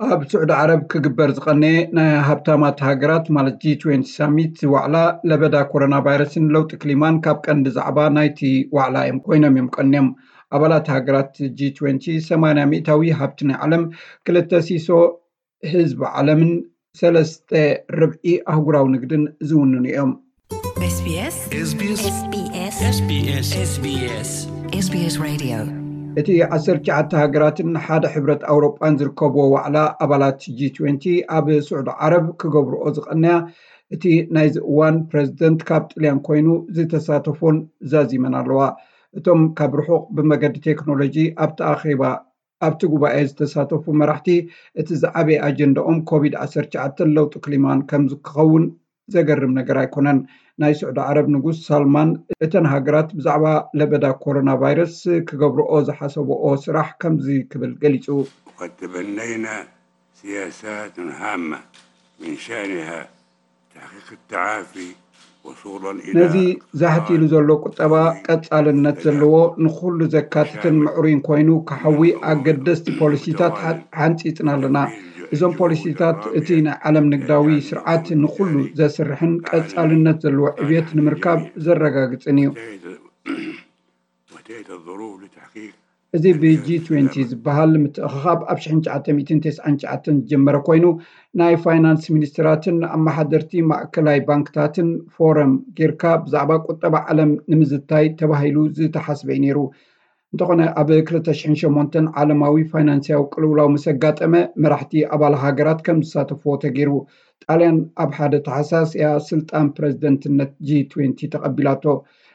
ኣብ ስዑዲ ዓረብ ክግበር ዝቐነየ ናይ ሃብታማት ሃገራት ማለት ጂ ትዌንቲ ሳሚት ዋዕላ ለበዳ ኮሮና ቫይረስን ለውጢ ክሊማን ካብ ቀንዲ ዛዕባ ናይቲ ዋዕላ እዮም ኮይኖም እዮም ቀንዮም። ኣባላት ሃገራት ጂ ትዌንቲ ሰማንያ ሚእታዊ ሃብቲ ናይ ዓለም፣ ክልተ ሲሶ ህዝቢ ዓለምን ሰለስተ ርብዒ ኣህጉራዊ ንግድን ዝውንኑ እዮም። SBS SBS SBS SBS SBS Radio. እቲ ዓሰርተ ትሽዓተ ሃገራትን ሓደ ሕብረት ኣውሮጳን ዝርከብዎ ዋዕላ ኣባላት ጂ ትዌንቲ ኣብ ስዑዲ ዓረብ ክገብርኦ ዝቐነያ እቲ ናይዚ እዋን ፕረዚደንት ካብ ጥልያን ኮይኑ ዝተሳተፎን ዛዚመን ኣለዋ። እቶም ካብ ርሑቕ ብመገዲ ቴክኖሎጂ ኣብቲ ኣኼባ ኣብቲ ጉባኤ ዝተሳተፉ መራሕቲ እቲ ዝዓበየ ኣጀንዳኦም ኮቪድ ዓሰርተ ትሽዓተ ለውጢ ክሊማን ከም ክኸውን ዘገርም ነገር ኣይኮነን። ናይ ስዑዲ ዓረብ ንጉስ ሳልማን እተን ሃገራት ብዛዕባ ለበዳ ኮሮና ቫይረስ ክገብርኦ ዝሓሰብኦ ስራሕ ከምዚ ክብል ገሊጹ። وقد تبنينا سياسات هامة من شأنها تحقيق التعافي وصولا إلى ነዚ ዛሕት ኢሉ ዘሎ ቁጠባ ቀጻልነት ዘለዎ ንኹሉ ዘካትትን ምዕሩይን ኮይኑ ክሓዊ ኣገደስቲ ፖሊሲታት ሓ- ሓንጺጽና ኣለና። እዞም ፖሊሲታት እቲ ናይ ዓለም ንግዳዊ ስርዓት ንኹሉ ዘስርሕን ቀጻልነት ዘለዎ ዕብየት ንምርካብ ዘረጋግጽን እዩ። وتأتي الظروف لتحقيق እዚ ብ ጂ ትዌንቲ ዝበሃል ምትእኽኻብ ኣብ ሽሕን ትሽዓተ ሚእትን ተስዓን ትሽዓተን ዝጀመረ ኮይኑ ናይ ፋይናንስ ሚኒስትራትን ኣመሓደርቲ ማእከላይ ባንክታትን ፎረም ጌርካ ብዛዕባ ቁጠባ ዓለም ንምዝታይ ተባሂሉ ዝተሓስበ እዩ ነይሩ። እንተኾነ ኣብ ክልተ ሽሕን ሸሞንተን ዓለማዊ ፋይናንስያዊ ቅልውላው ምስ ኣጋጠመ መራሕቲ ኣባል ሃገራት ከም ዝሳተፍዎ ተገይሩ። ጣልያን ኣብ ሓደ ታሕሳስ እያ ስልጣን ፕረዚደንትነት ጂ ትዌንቲ ተቐቢላቶ።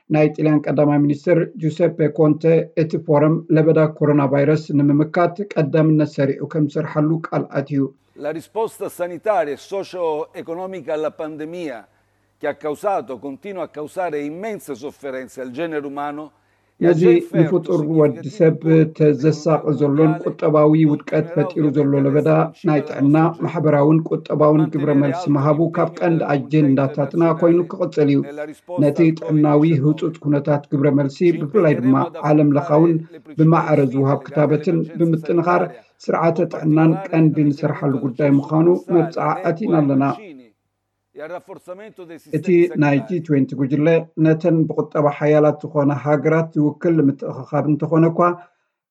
ናይ ጥልያን ቀዳማይ ሚኒስትር ጁሰፔ ኮንተ እቲ ፎረም ለበዳ ኮሮና ቫይረስ ንምምካት ቀዳምነት ሰሪዑ ከም ዝሰርሓሉ ቃል ኣትዩ። La risposta sanitaria e socio-economica alla pandemia, che ha causato, continua a causare immense sofferenze al genere umano, e ha ነዚ già inferto ንፍጡር ወዲ ሰብ ተዘሳቒ ዘሎን ቁጠባዊ ውድቀት ፈጢሩ ዘሎ ለበዳ ናይ ጥዕና፣ ማሕበራውን ቁጠባውን ግብረ መልሲ ምሃቡ ካብ ቀንዲ ኣጀንዳታትና ኮይኑ ክቕጽል እዩ። ነቲ ጥዕናዊ ህጹጽ ኩነታት ግብረ መልሲ ብፍላይ ድማ ዓለም ለኻውን ብማዕረ ዝውሃብ ክታበትን ብምጥንኻር ስርዓተ ጥዕናን ቀንዲ ንሰርሓሉ ጉዳይ ምዃኑ መብጽዓ ኣቲና ኣለና። እቲ ናይ ጂ ትዌንቲ ጉጅለ ነተን ብቁጠባ ሓያላት ዝኾነ ሃገራት ዝውክል ምትእኽኻብ እንተኾነ እኳ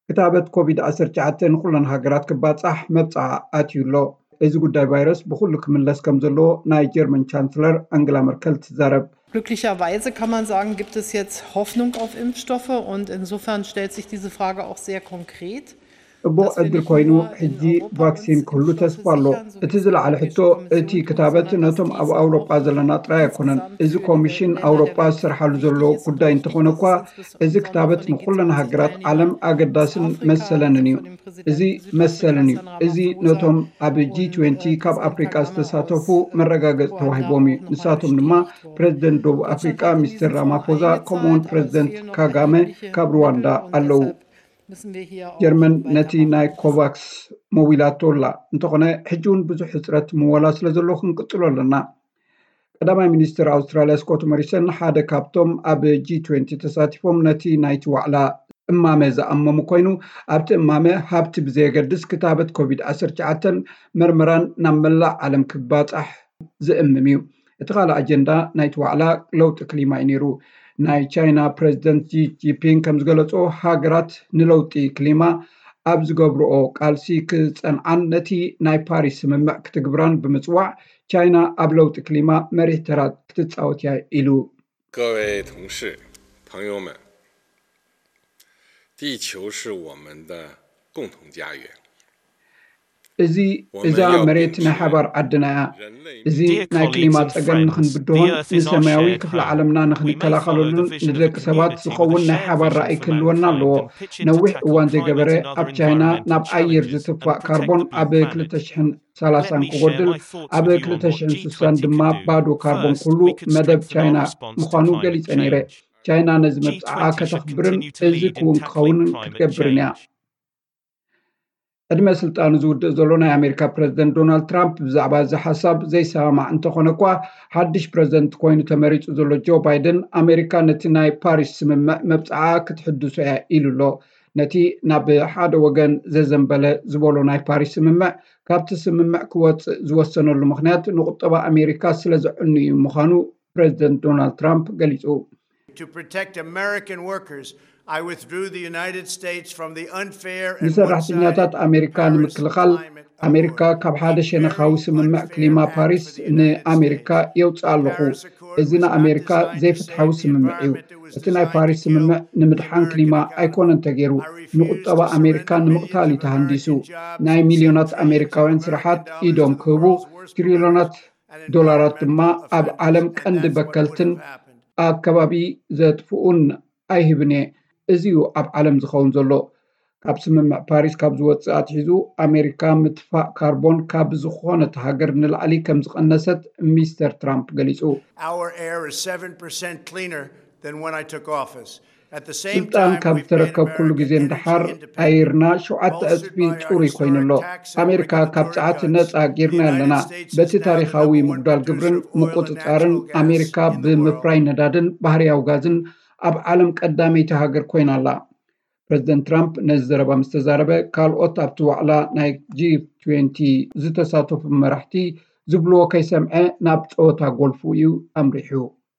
ክታበት ኮቪድ ዓሰርተ ትሽዓተ ንኩለን ሃገራት ክባጻሕ መብጽዓ ኣትዩ ኣሎ። እዚ ጉዳይ ቫይረስ ብኹሉ ክምለስ ከም ዘለዎ ናይ ጀርመን ቻንስለር ኣንግላ መርከል ትዛረብ። Glücklicherweise kann man sagen, gibt es jetzt Hoffnung auf Impfstoffe und insofern stellt sich diese Frage auch sehr konkret. ጽቡቕ ዕድል ኮይኑ ሕጂ ቫክሲን ክህሉ ተስፋ ኣሎ። እቲ ዝለዓለ ሕቶ እቲ ክታበት ነቶም ኣብ ኣውሮጳ ዘለና ጥራይ ኣይኮነን። እዚ ኮሚሽን ኣውሮጳ ዝሰርሓሉ ዘሎ ጉዳይ እንተኾነ እኳ እዚ ክታበት ንኩለን ሃገራት ዓለም ኣገዳስን መሰለንን እዩ። እዚ መሰልን እዩ። እዚ ነቶም ኣብ ጂ ትዌንቲ ካብ ኣፍሪቃ ዝተሳተፉ መረጋገጺ ተዋሂቦም እዩ። ንሳቶም ድማ ፕረዚደንት ደቡብ ኣፍሪቃ ሚስተር ራማፎዛ ከምኡውን ፕረዚደንት ካጋመ ካብ ሩዋንዳ ኣለዉ። ጀርመን ነቲ ናይ ኮቫክስ መዊላቶ ኣላ። እንተኾነ ሕጂ እውን ብዙሕ ሕፅረት ምወላ ስለ ዘሎ ክንቅፅሎ ኣለና። ቀዳማይ ሚኒስትር ኣውስትራልያ ስኮት ሞሪሰን ሓደ ካብቶም ኣብ ጂ ትዌንቲ ተሳቲፎም ነቲ ናይቲ ዋዕላ እማመ ዝኣመሙ ኮይኑ ኣብቲ እማመ ሃብቲ ብዘየገድስ ክታበት ኮቪድ ዓሰርተ ትሽዓተ መርመራን ናብ መላእ ዓለም ክባፃሕ ዝእምም እዩ። እቲ ካልእ ኣጀንዳ ናይቲ ዋዕላ ለውጢ ክሊማ እዩ ነይሩ። ናይ ቻይና ፕረዚደንት ጂ ጂንፒንግ ከም ዝገለጾ ሃገራት ንለውጢ ክሊማ ኣብ ዝገብርኦ ቃልሲ ክጸንዓን ነቲ ናይ ፓሪስ ስምምዕ ክትግብራን ብምጽዋዕ ቻይና ኣብ ለውጢ ክሊማ መሪሕ ተራ ክትጻወት እያ ኢሉ። 各位同事、朋友们，地球是我们的共同家园。 እዚ እዛ መሬት ናይ ሓባር ዓድና እያ። እዚ ናይ ክሊማ ጸገም ንኽንብድሆን ንሰማያዊ ክፍሊ ዓለምና ንኽንከላኸለሉን ንደቂ ሰባት ዝኸውን ናይ ሓባር ራእይ ክህልወና ኣለዎ። ነዊሕ እዋን ዘይገበረ ኣብ ቻይና ናብ ኣየር ዝትፋእ ካርቦን ኣብ ክልተ ሽሕን ሰላሳን ክጎድል ኣብ ክልተ ሽሕን ስሳን ድማ ባዶ ካርቦን ኩሉ መደብ ቻይና ምዃኑ ገሊጸ ነይረ። ቻይና ነዚ መብጽዓ ከተኽብርን እዚ ክውን ክኸውንን ክትገብርን እያ። ዕድመ ስልጣኑ ዝውድእ ዘሎ ናይ ኣሜሪካ ፕረዚደንት ዶናልድ ትራምፕ ብዛዕባ እዚ ሓሳብ ዘይሰማማዕ እንተኾነ እኳ ሓድሽ ፕረዚደንት ኮይኑ ተመሪጹ ዘሎ ጆ ባይደን ኣሜሪካ ነቲ ናይ ፓሪስ ስምምዕ መብጽዓ ክትሕድሶ እያ ኢሉ ኣሎ። ነቲ ናብ ሓደ ወገን ዘዘንበለ ዝበሎ ናይ ፓሪስ ስምምዕ፣ ካብቲ ስምምዕ ክወፅእ ዝወሰነሉ ምኽንያት ንቁጠባ ኣሜሪካ ስለ ዘዕኑ እዩ ምዃኑ ፕሬዚደንት ዶናልድ ትራምፕ ገሊፁ። To protect American workers, I withdrew the United States from the unfair and ንሰራሕተኛታት ኣሜሪካ ንምክልኻል ኣሜሪካ ካብ ሓደ ሸነኻዊ ስምምዕ ክሊማ ፓሪስ ንኣሜሪካ የውፅእ ኣለኹ። እዚ ንኣሜሪካ ዘይፍትሓዊ ስምምዕ እዩ። እቲ ናይ ፓሪስ ስምምዕ ንምድሓን ክሊማ ኣይኮነን ተገይሩ፣ ንቁጠባ ኣሜሪካ ንምቕታል እዩ ተሃንዲሱ። ናይ ሚልዮናት ኣሜሪካውያን ስራሓት ኢዶም ክህቡ፣ ትሪልዮናት ዶላራት ድማ ኣብ ዓለም ቀንዲ በከልትን ኣከባቢ ዘጥፍኡን ኣይህብን እየ። እዚ እዩ ኣብ ዓለም ዝኸውን ዘሎ። ካብ ስምምዕ ፓሪስ ካብ ዝወፅእ ኣትሒዙ ኣሜሪካ ምጥፋእ ካርቦን ካብ ዝኾነት ሃገር ንላዕሊ ከም ዝቐነሰት ሚስተር ትራምፕ ገሊፁ። Our air is seven percent cleaner than when I took office. At the same ስልጣን time, ካብ we've made ዝተረከብኩሉ ግዜ America ንደሓር energy independent. ኣይርና ሸውዓተ ዕፅፊ ፅሩይ ኮይኑሎ። ኣሜሪካ ካብ ፀዓት ነፃ ጌርና ኣለና። በቲ ታሪኻዊ ምጉዳል ግብርን ምቁፅፃርን ኣሜሪካ ብምፍራይ ነዳድን ባህርያዊ ጋዝን ኣብ ዓለም ቀዳመይቲ ሃገር ኮይና ኣላ። ፕሬዚደንት ትራምፕ ነዚ ዘረባ ምስ ተዛረበ፣ ካልኦት ኣብቲ ዋዕላ ናይ ጂ ትዌንቲ ዝተሳተፉ መራሕቲ ዝብልዎ ከይሰምዐ ናብ ፀወታ ጎልፉ እዩ ኣምሪሑ።